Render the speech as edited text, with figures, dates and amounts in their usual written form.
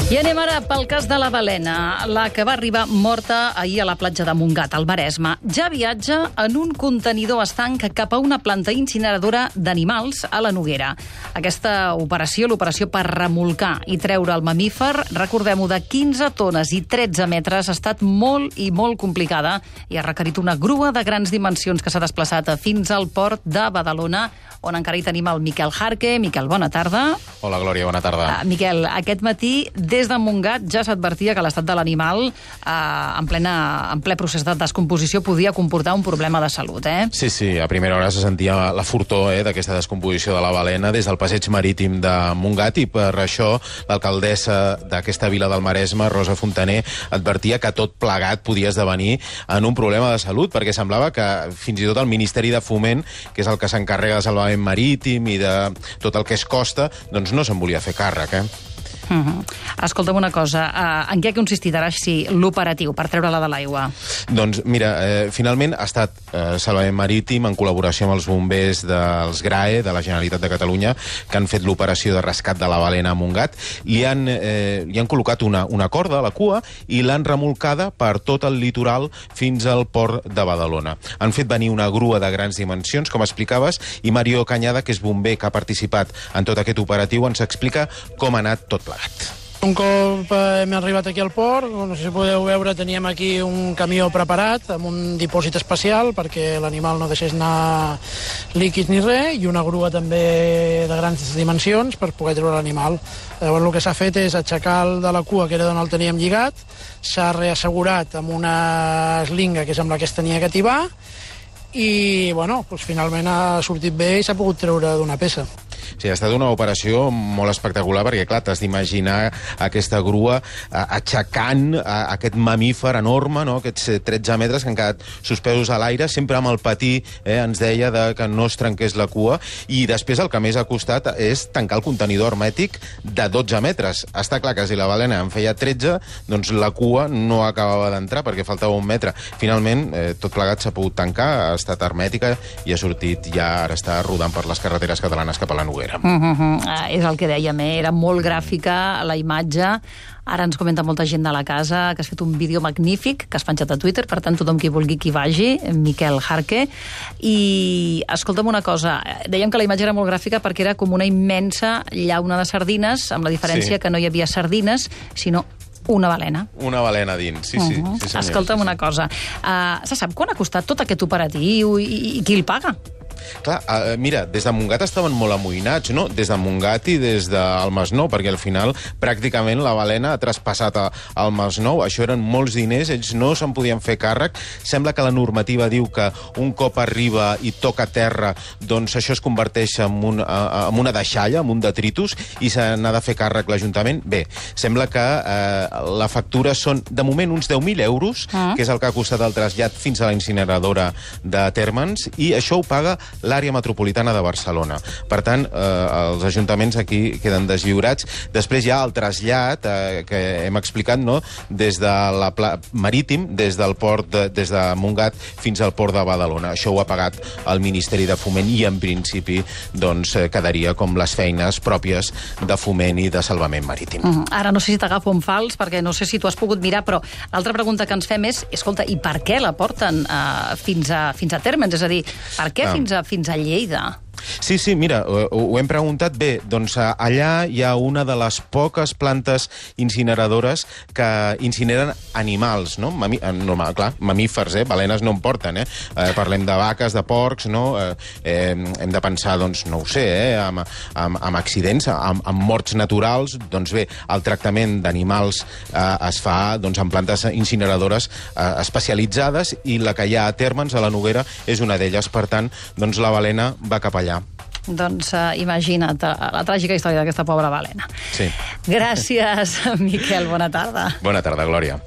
I anem ara pel cas de la balena, la que va arribar morta ahir a la platja de Montgat, al Maresme. Ja viatja en un contenidor estanc cap a una planta incineradora d'animals a la Noguera. Aquesta operació, l'operació per remolcar i treure el mamífer, recordem-ho, de 15 tones i 13 metres, ha estat molt i molt complicada i ha requerit una grua de grans dimensions que s'ha desplaçat fins al port de Badalona, on encara hi tenim el Miquel Jarque. Miquel, bona tarda. Hola, Glòria, bona tarda. Miquel, aquest matí, des de Montgat, ja s'advertia que l'estat de l'animal, en ple procés de descomposició, podia comportar un problema de salut, eh? Sí, a primera hora se sentia la fortor d'aquesta descomposició de la balena des del passeig marítim de Montgat, i per això l'alcaldessa d'aquesta vila del Maresme, Rosa Fontaner, advertia que tot plegat podia esdevenir en un problema de salut, perquè semblava que fins i tot el Ministeri de Foment, que és el que s'encarrega de salvament marítim i de tot el que es costa, doncs no se'n volia fer càrrec, Escolta'm una cosa, en què ha consistit ara l'operatiu per treure-la de l'aigua? Doncs mira, finalment ha estat Salvament Marítim en col·laboració amb els bombers dels GRAE, de la Generalitat de Catalunya, que han fet l'operació de rescat de la balena a Montgat. Li han col·locat una corda a la cua i l'han remolcada per tot el litoral fins al port de Badalona. Han fet venir una grua de grans dimensions, com explicaves, i Mario Cañada, que és bomber que ha participat en tot aquest operatiu, ens explica com ha anat tot plegat. Un cop hem arribat aquí al port, no sé si podeu veure, teníem aquí un camió preparat amb un dipòsit especial perquè l'animal no deixés anar líquids ni res, i una grua també de grans dimensions per poder treure l'animal. Llavors el que s'ha fet és aixecar el de la cua, que era d'on el teníem lligat, s'ha reassegurat amb una eslinga, que és amb la que es tenia que tibar, i bueno, doncs finalment ha sortit bé i s'ha pogut treure d'una peça. Sí, ha estat una operació molt espectacular perquè, clar, t'has d'imaginar aquesta grua aixecant aquest mamífer enorme, no? Aquests 13 metres que han quedat suspesos a l'aire, sempre amb el patí, ens deia, que no es trenqués la cua, i després el que més ha costat és tancar el contenidor hermètic de 12 metres. Està clar que si la balena en feia 13, doncs la cua no acabava d'entrar perquè faltava un metre. Finalment, tot plegat s'ha pogut tancar, ha estat hermètica i ha sortit, ja ara està rodant per les carreteres catalanes cap a la Noguera. És el que dèiem, era molt gràfica la imatge. Ara ens comenta molta gent de la casa que has fet un vídeo magnífic que has penjat a Twitter, per tant tothom qui vulgui que hi vagi, Miquel Jarque. I escolta'm una cosa, dèiem que la imatge era molt gràfica perquè era com una immensa llauna de sardines, amb la diferència que no hi havia sardines, sinó una balena. Una balena dins, sí, senyor. Escolta'm una cosa, se sap quan ha costat tot aquest operatiu i qui el paga? Clar, mira, des de Montgat estaven molt amoïnats, no? Des de Montgat i des del Masnou, perquè al final pràcticament la balena ha traspassat al Masnou. Això eren molts diners, ells no se'n podien fer càrrec. Sembla que la normativa diu que un cop arriba i toca terra, doncs això es converteix en una deixalla, en un detritus, i se n'ha de fer càrrec l'Ajuntament. Bé, sembla que la factura són, de moment, uns 10.000 euros, que és el que ha costat el trasllat fins a la incineradora de Térmens, i això ho paga l'àrea metropolitana de Barcelona. Per tant, els ajuntaments aquí queden deslliurats. Després hi ha el trasllat que hem explicat, no?, des de marítim, des del port, des de Montgat fins al port de Badalona. Això ho ha pagat el Ministeri de Foment i, en principi, doncs, quedaria com les feines pròpies de Foment i de Salvament Marítim. Ara no sé si t'agafo en fals, perquè no sé si tu has pogut mirar, però l'altra pregunta que ens fem és, escolta, i per què la porten fins a Térmens? És a dir, per què fins a Lleida? Sí, mira, ho hem preguntat. Bé, doncs allà hi ha una de les poques plantes incineradores que incineren animals, no? Clar, mamífers, balenes no en porten, Parlem de vaques, de porcs, no? Hem de pensar, doncs, no ho sé, amb accidents, amb morts naturals. Doncs bé, el tractament d'animals es fa en plantes incineradores especialitzades, i la que hi ha a Térmens, a la Noguera, és una d'elles. Per tant, doncs la balena va cap allà. Doncs imagina't la tràgica història d'aquesta pobra balena. Sí. Gràcies, Miquel, bona tarda. Bona tarda, Glòria.